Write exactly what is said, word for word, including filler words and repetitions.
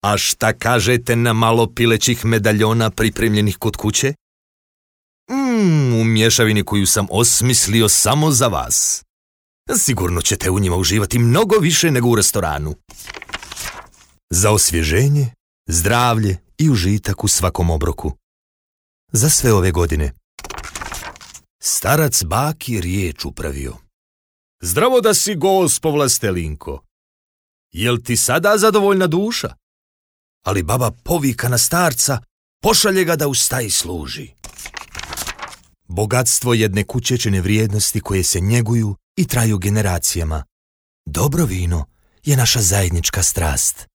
A šta kažete na malo pilećih medaljona pripremljenih kod kuće? Mmm, u mješavini koju sam osmislio samo za vas. Sigurno ćete u njima uživati mnogo više nego u restoranu. Za osvježenje, zdravlje i užitak u svakom obroku. Za sve ove godine. Starac baki riječ upravio. Zdravo da si, gospo Vlastelinko. Jel ti sada zadovoljna duša? Ali baba povika na starca, pošalje ga da u staji služi. Bogatstvo jedne kućečine vrijednosti koje se njeguju i traju generacijama. Dobro vino je naša zajednička strast.